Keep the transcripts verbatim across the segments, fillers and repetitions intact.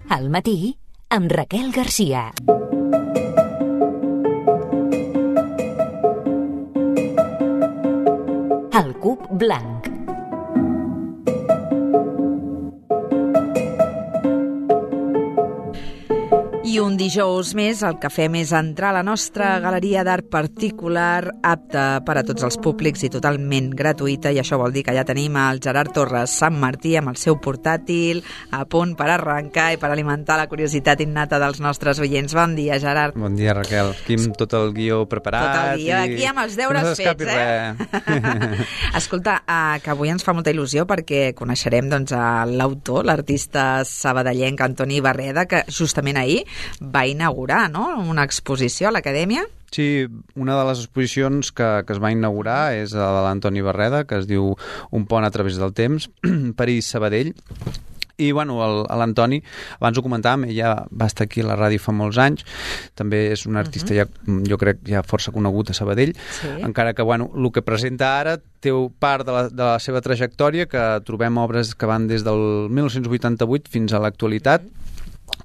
Al matí, amb Raquel Garcia. El cub blanc. I un dijous més el que fem és entrar a la nostra galeria d'art particular, apta per a tots els públics i totalment gratuïta, i això vol dir que ja tenim el Gerard Torres Sant Martí amb el seu portàtil a punt per arrencar i per alimentar la curiositat innata dels nostres oients. Bon dia, Gerard. Bon dia, Raquel. Aquí amb tot el guió preparat. Tot el guió, i... aquí amb els deures no fets, eh? Escolta, uh, que avui ens fa molta il·lusió perquè coneixerem doncs, l'autor, l'artista sabadellenc Antoni Barreda, que justament ahir va inaugurar, no?, una exposició a l'Acadèmia. Sí, una de les exposicions que, que es va inaugurar és la de l'Antoni Barreda, que es diu Un pont a través del temps, París-Sabadell. I, bueno, l'Antoni, abans ho comentàvem, ella va estar aquí a la ràdio fa molts anys, també és un artista, uh-huh. ja, jo crec, ja força conegut a Sabadell, sí. Encara que, bueno, el que presenta ara té part de la, de la seva trajectòria, que trobem obres que van des del mil nou-cents vuitanta-vuit fins a l'actualitat, uh-huh.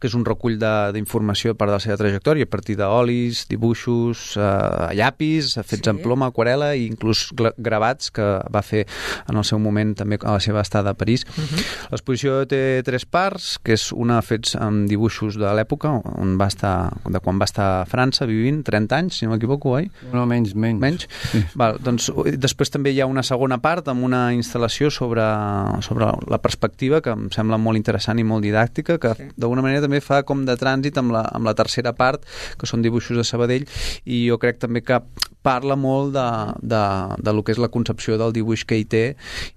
que és un recull d'informació per de la seva trajectòria, a partir d'olis, dibuixos, eh, llapis, fets sí. en ploma, aquarela i inclús gravats que va fer en el seu moment també a la seva estada a París. Uh-huh. L'exposició té tres parts, que és una fets amb dibuixos de l'època, on va estar, de quan va estar a França vivint, trenta anys, si no m'equivoco, oi? No, menys, menys. Menys? Sí. Val, doncs, després també hi ha una segona part amb una instal·lació sobre, sobre la perspectiva, que em sembla molt interessant i molt didàctica, que sí. d'alguna manera també fa com de trànsit amb la, amb la tercera part, que són dibuixos de Sabadell, i jo crec també que parla molt de, de, de lo que és la concepció del dibuix que hi té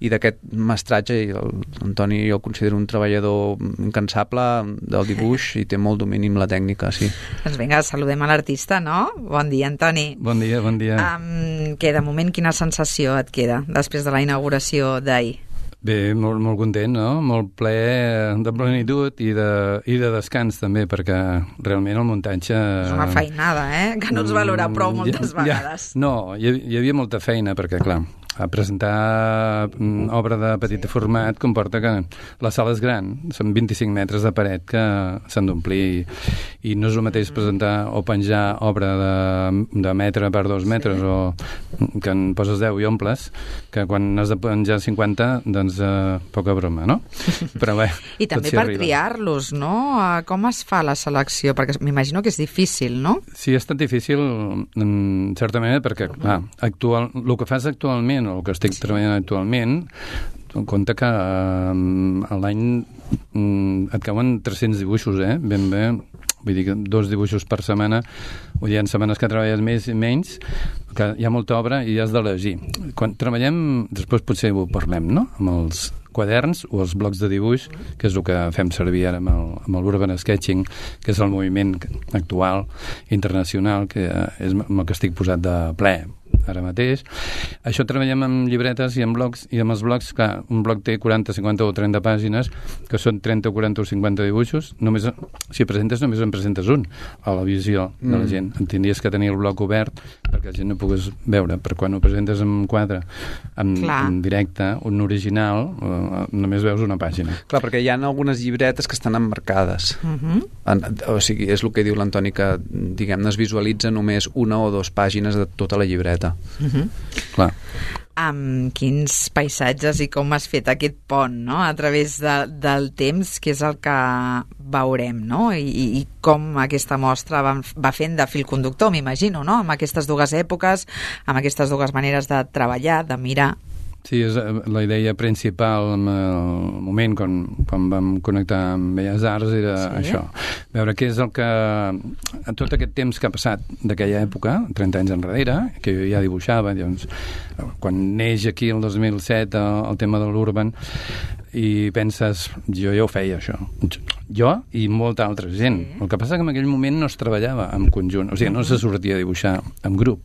i d'aquest mestratge, i l'Antoni jo el considero un treballador incansable del dibuix i té molt domini amb la tècnica, sí. Doncs vinga, saludem a l'artista, no? Bon dia, Antoni. Bon dia, bon dia. Um, que de moment quina sensació et queda després de la inauguració d'ahir? Bé, molt, molt content, no? Molt ple de plenitud i de, i de descans també, perquè realment el muntatge... És una feinada, eh? Que no ens valora prou moltes ja, vegades. Ja, no, hi, hi havia molta feina, perquè, clar, a presentar obra de petit format comporta que la sala és gran, són vint-i-cinc metres de paret que s'han d'omplir, i no és el mateix presentar o penjar obra de, de metre per dos metres, sí. o que en poses deu i omples, que quan has de penjar cinquanta, doncs eh, poca broma, no? Però bé, i també per arriba. Triar-los, no? Com es fa la selecció? Perquè m'imagino que és difícil, no? Sí, ha estat difícil, en certa manera, perquè clar, actual, el que fas actualment o el que estic sí. treballant actualment, compte que eh, a l'any mm, et cauen tres-cents dibuixos, eh? Ben bé, vull dir que dos dibuixos per setmana, vull dir, en setmanes que treballes més i menys, que hi ha molta obra i has d'elegir. Quan treballem, després potser ho parlem, no?, amb els quaderns o els blocs de dibuix, que és el que fem servir ara amb el, amb el Urban Sketching, que és el moviment actual, internacional, que és amb el que estic posat de ple ara mateix. Això treballem amb llibretes i amb blocs, i amb els blocs, clar, un bloc té quaranta, cinquanta o trenta pàgines, que són trenta, quaranta o cinquanta dibuixos. Només, si presentes, només en presentes un a la visió de la gent. Mm. Tindries que tenir el bloc obert perquè la gent no pogués veure, però quan ho presentes en quadre, en, en directe, un original, eh, només veus una pàgina. Clar, perquè hi ha algunes llibretes que estan emmarcades. Uh-huh. En, o sigui, és el que diu l'Antoni, que, diguem-ne, es visualitza només una o dues pàgines de tota la llibreta. Uh-huh. Clar. Amb quins paisatges i com has fet aquest pont, no?, a través de, del temps, que és el que veurem, no?, I, i com aquesta mostra va, va fent de fil conductor, m'imagino, no?, amb aquestes dues èpoques, amb aquestes dues maneres de treballar, de mirar. Sí, és la idea principal en el moment quan, quan vam connectar amb Belles Arts era sí. això, veure què és el que tot aquest temps que ha passat d'aquella època, trenta anys enrere, que jo ja dibuixava, doncs, quan neix aquí el dos mil set el, el tema de l'Urban, i penses, jo ja ho feia això, jo i molta altra gent. El que passa que en aquell moment no es treballava en conjunt, o sigui, no se sortia a dibuixar en grup.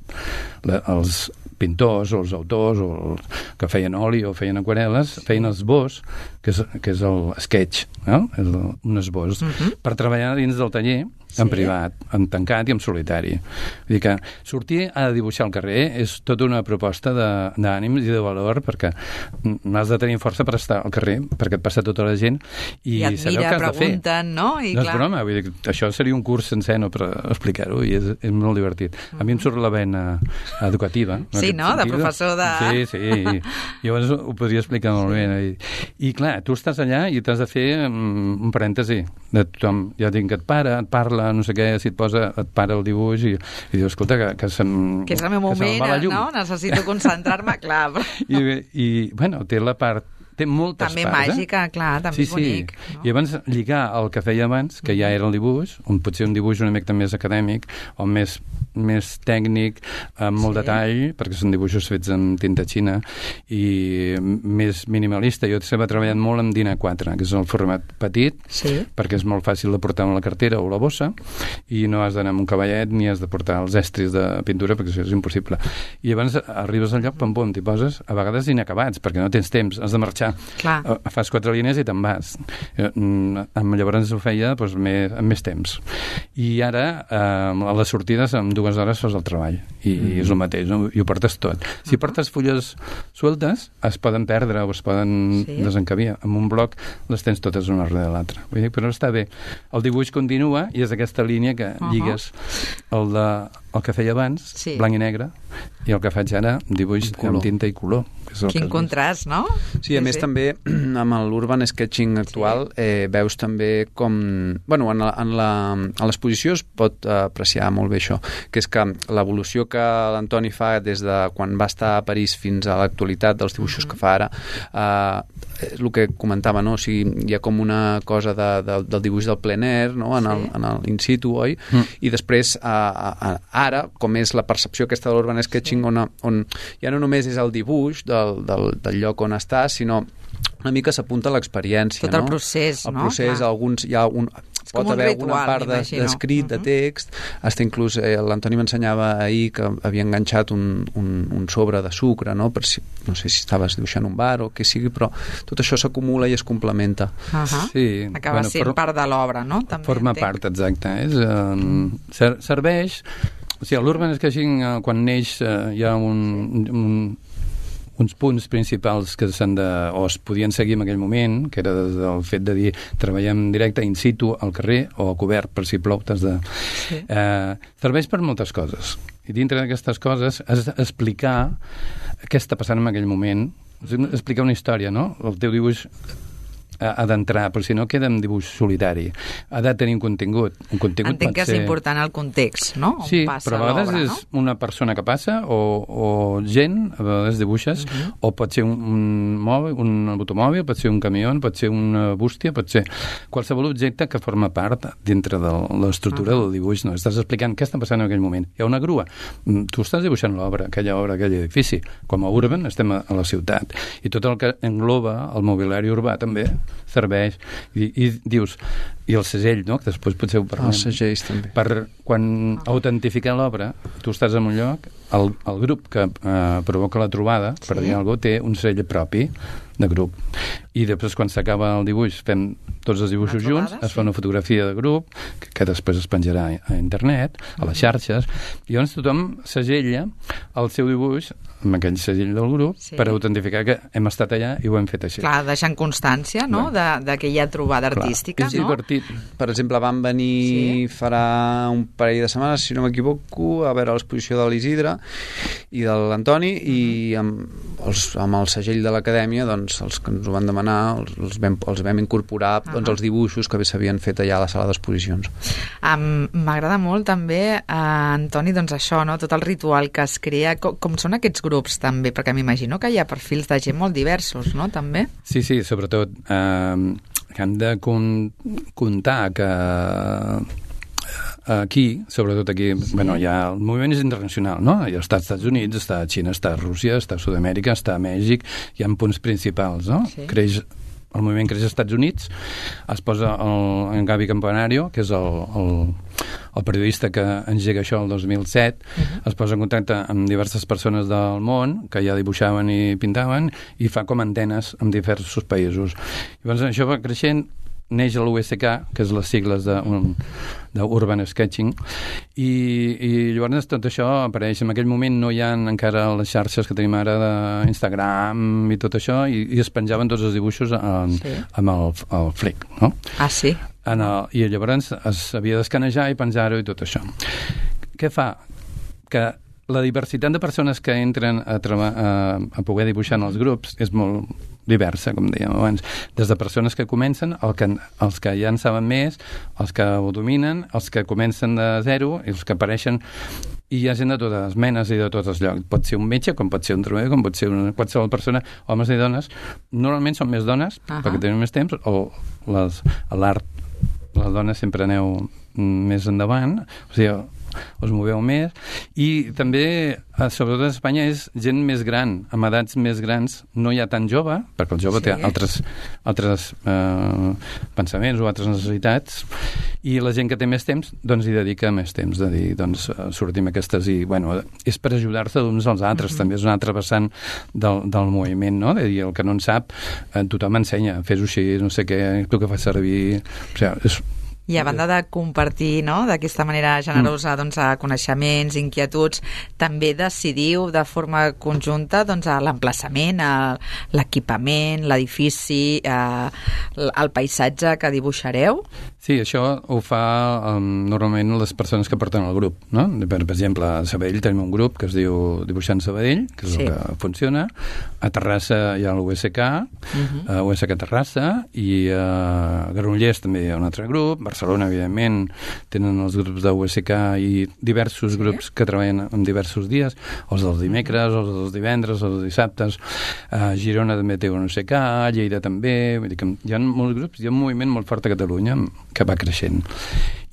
La, els pintors o els autors o els que feien oli o feien aquarel·les feien esbós, que és, que és el sketch, no? És el, un esbós, uh-huh. per treballar dins del taller en sí. privat, en tancat i en solitari. Vull dir que sortir a dibuixar al carrer és tota una proposta d'ànims i de valor, perquè n'has de tenir força per estar al carrer perquè et passa tota la gent i, I admira, pregunten, no? I no clar. és broma, vull dir, això seria un curs sencer no, per explicar-ho i és, és molt divertit. A mi em surt la vena educativa. Sí, no? De professor de... Sí, sí, i, i llavors ho podria explicar molt bé. I, i clar, tu estàs allà i t'has de fer um, un parèntesi de tothom. Ja dic que et para, et parla, no sé què, si et posa, et para el dibuix i, i dius, escolta, que, que se'm... Que és el meu moment, no? Necessito concentrar-me, clar. Però... I, I, bueno, té la part té moltes també parts. També màgica, eh? Clar, també sí, és bonic. Sí. No? I abans lligar el que feia abans, que ja era el dibuix, on potser un dibuix una mica més acadèmic, o més, més tècnic, amb molt sí. detall, perquè són dibuixos fets amb tinta xina, i més minimalista. Jo estava treballant molt amb DIN A quatre, que és el format petit, sí. perquè és molt fàcil de portar amb la cartera o la bossa, i no has d'anar amb un cavallet ni has de portar els estris de pintura, perquè això és impossible. I abans arribes al lloc, pam, pam, t'hi poses, a vegades inacabats, perquè no tens temps, has de marxar. Clar. Fas quatre línies i te'n vas. Llavors ho feia doncs, més, amb més temps. I ara, eh, a les sortides, en dues hores fas el treball. I, mm. i és el mateix, no? I ho portes tot. Si uh-huh. portes fulles sueltes, es poden perdre o es poden sí. desencabiar. En un bloc les tens totes una darrere de l'altra. Vull dir, però està bé. El dibuix continua i és aquesta línia que uh-huh. lligues el, de, el que feia abans, sí. blanc i negre, i el que faig ara, dibuix amb tinta i color. Quin contrast, no? Sí, a sí, més sí. també amb l'urban sketching actual sí. eh, veus també com... Bueno, en, la, en, la, en l'exposició es pot apreciar molt bé això, que és que l'evolució que l'Antoni fa des de quan va estar a París fins a l'actualitat dels dibuixos mm-hmm. que fa ara, eh, és el que comentava, no? O sigui, hi ha com una cosa de, de, del dibuix del plein air, no? En, sí. el, en el in situ, oi? Mm. I després, a, a, ara, com és la percepció aquesta de l'urban sketching, sí. on, on ja no només és el dibuix del, del, del lloc on estàs, sinó una mica s'apunta a l'experiència. Tot el no? procés, el no? El procés, Clar. alguns... Hi ha un, pot haver ritual, alguna part d'escrit, de, uh-huh. de text, hasta inclús eh, l'Antoni m'ensenyava ahir que havia enganxat un, un, un sobre de sucre, no? Per si, no sé si estaves dibuixant un bar o què sigui, però tot això s'acumula i es complementa. Uh-huh. Sí. Acaba bueno, sent for... part de l'obra, no? També forma entenc. part, exacte. És, um, ser, serveix... O sigui, l'urban sketching, uh, quan neix, uh, hi ha un... un uns punts principals que s'han de, o es podien seguir en aquell moment, que era el fet de dir treballem directe in situ al carrer o a cobert per si plou, t'has de... Sí. Eh, serveix per moltes coses. I dintre d'aquestes coses has d'explicar què està passant en aquell moment, explicar una història, no? El teu dibuix ha d'entrar, però si no queda en dibuix solitari. Ha de tenir un contingut. Un contingut Entenc que és ser... important el context, no? On sí, passa però a vegades l'obra, és no? una persona que passa o, o gent, a vegades dibuixes, uh-huh. o pot ser un, un, mòbil, un automòbil, pot ser un camió, pot ser una bústia, pot ser qualsevol objecte que forma part dintre de l'estructura uh-huh. del dibuix. No? Estàs explicant què està passant en aquell moment. Hi ha una grua. Tu estàs dibuixant l'obra, aquella obra, aquell edifici. Com a urban estem a, a la ciutat. I tot el que engloba el mobiliari urbà també serveix. I, i dius, i el segell, no? Que després potser ho parlem. Els segells també. Per quan autentificar l'obra, tu estàs en un lloc, el, el grup que eh, provoca la trobada, sí. per dir alguna cosa, té un segell propi de grup. I després, quan s'acaba el dibuix, fem tots els dibuixos trobada, junts, es fa sí. una fotografia de grup, que, que després es penjarà a internet, a les xarxes, i llavors tothom segella el seu dibuix amb aquell segell del grup sí. per autentificar que hem estat allà i ho hem fet així. Clar, deixant constància, no?, de, de que hi ha trobada Clar. artística, és no? divertit. Per exemple, van venir sí. farà un parell de setmanes, si no m'equivoco, a veure l'exposició de l'Isidre i de l'Antoni, mm-hmm. i amb, els, amb el segell de l'acadèmia, doncs, els que ens ho van demanar, els, els, vam, els vam incorporar uh-huh. doncs, els dibuixos que s'havien fet allà a la sala d'exposicions. Um, M'agrada molt també, uh, Antoni, doncs això, no?, tot el ritual que es crea, com, com són aquests grups també, perquè m'imagino que hi ha perfils de gent molt diversos, no?, també? Sí, sí, sobretot eh, que hem de con- comptar que aquí, sobretot aquí, sí. bueno, ja el moviment és internacional, no? Ja està als Estats Units, està a Xina, està a Rússia, està a Sud-amèrica, està a Mèxic, hi ha punts principals, no? Sí. Creix, el moviment creix als Estats Units, es posa el, en Gaby Campanario, que és el, el, el periodista que engega això el dos mil set, uh-huh. es posa en contacte amb diverses persones del món que ja dibuixaven i pintaven i fa com antenes en diversos països. Llavors això va creixent neix a l'U S K, que és les sigles d'Urban Sketching, i, i llavors tot això apareix. En aquell moment no hi ha encara les xarxes que tenim ara d'Instagram i tot això, i, i es penjaven tots els dibuixos en, sí. amb el, el Flick, no? Ah, sí? En el, I llavors es havia d'escanejar i penjar-ho i tot això. Què fa? Que la diversitat de persones que entren a, treba, a, a poder dibuixar en els grups és molt diversa, com dèiem abans, des de persones que comencen, el que, els que ja en saben més, els que ho dominen, els que comencen de zero, i els que apareixen, i hi ha gent de totes les menes i de tots els llocs. Pot ser un metge, com pot ser un treballador, com pot ser una qualsevol persona, homes i dones. Normalment són més dones, uh-huh. perquè tenen més temps, o les, a l'art, les dones sempre aneu més endavant, o sigui, us moveu més, i també, sobretot a Espanya, és gent més gran, amb edats més grans, no hi ha tan jove, perquè el jove sí. té altres, altres eh, pensaments o altres necessitats, i la gent que té més temps, doncs hi dedica més temps, de dir, doncs sortim aquestes i, bueno, és per ajudar-se uns als altres, mm-hmm. també és un altre vessant del, del moviment, no? De dir, el que no en sap, eh, tothom ensenya, fes-ho així, no sé què, tu que fas servir, o sigui, és I a banda de compartir, no?, d'aquesta manera generosa, doncs, a coneixements, inquietuds, també decidiu de forma conjunta, doncs, a l'emplaçament, a l'equipament, l'edifici, a, el paisatge que dibuixareu? Sí, això ho fa um, normalment les persones que porten el grup, no? Per, per exemple, a Sabadell tenim un grup que es diu Dibuixant Sabadell, que és sí. el que funciona. A Terrassa hi ha l'U S K, uh-huh. a U S K Terrassa, i a Granollers també hi ha un altre grup. Barcelona, evidentment, tenen els grups de U S K i diversos sí. grups que treballen en diversos dies, els dels dimecres, els dels divendres, els dels dissabtes. A Girona també té un U S K, a Lleida també, vull dir que hi ha molts grups, hi ha un moviment molt fort a Catalunya que va creixent.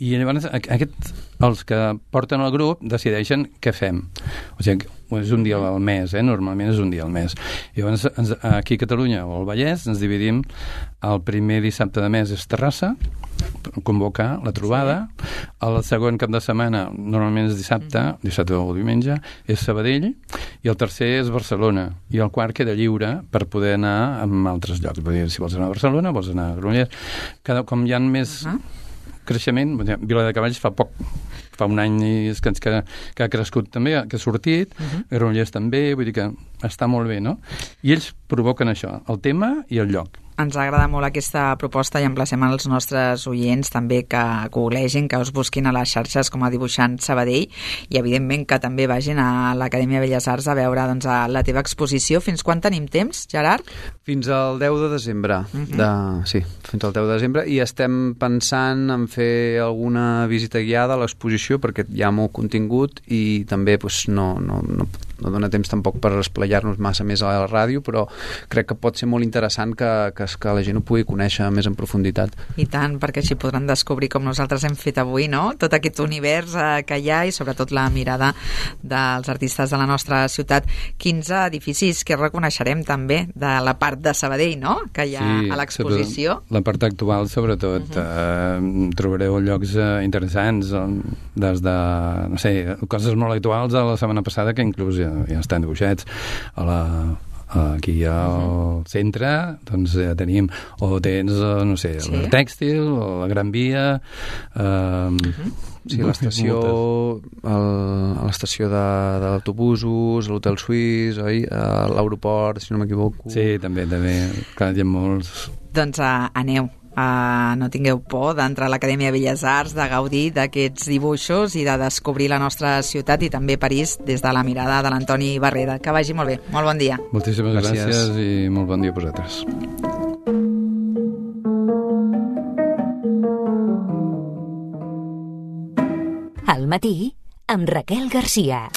I llavors aquest, els que porten el grup decideixen què fem. O sigui, és un dia al mes, eh? Normalment és un dia al mes. I llavors ens, aquí a Catalunya o al Vallès ens dividim, el primer dissabte de mes és Terrassa, convocar la trobada, el segon cap de setmana, normalment és dissabte, dissabte o diumenge, és Sabadell, i el tercer és Barcelona, i el quart queda lliure per poder anar a altres llocs. Vull dir, si vols anar a Barcelona, vols anar a Granollers, cada, com hi ha més uh-huh. creixement, Viladecavalls fa poc, fa un any és que, que, que ha crescut també, que ha sortit, uh-huh. Granollers també, vull dir que està molt bé, no? I ells provoquen això, el tema i el lloc. Ens agrada molt aquesta proposta i emplacem als nostres oients també que googlegin, que us busquin a les xarxes com a Dibuixant Sabadell i evidentment que també vagin a l'Acadèmia Belles Arts a veure doncs, a la teva exposició. Fins quan tenim temps, Gerard? Fins al deu de desembre. Uh-huh. de... Sí, fins al deu de desembre, i estem pensant en fer alguna visita guiada a l'exposició perquè hi ha molt contingut i també doncs, no, no, no, no dona temps tampoc per esplayar-nos massa més a la ràdio, però crec que pot ser molt interessant que, que que la gent ho pugui conèixer més en profunditat. I tant, perquè així podran descobrir com nosaltres hem fet avui, no? Tot aquest univers eh, que hi ha i sobretot la mirada dels artistes de la nostra ciutat. quinze edificis que reconeixerem també de la part de Sabadell, no?, que hi ha sí, a l'exposició. La part actual, sobretot. Uh-huh. eh, trobareu llocs eh, interessants, des de, no sé, coses molt actuals de la setmana passada que inclús ja, ja estan dibuixats a la aquí al centre doncs ja tenim, o tens no sé, sí. el tèxtil o la Gran Via eh, uh-huh. sí, l'estació el, a l'estació de, de l'autobús, l'Hotel Suís, oi? A l'aeroport, si no m'equivoco. Sí, també, també, clar, hi ha molts. Doncs uh, aneu Uh, no tingueu por d'entrar a l'Acadèmia Belles Arts, de gaudir d'aquests dibuixos i de descobrir la nostra ciutat i també París des de la mirada de l'Antoni Barreda. Que vagi molt bé. Molt bon dia. Moltíssimes gràcies, gràcies i molt bon dia a vosaltres. Al matí amb Raquel Garcia.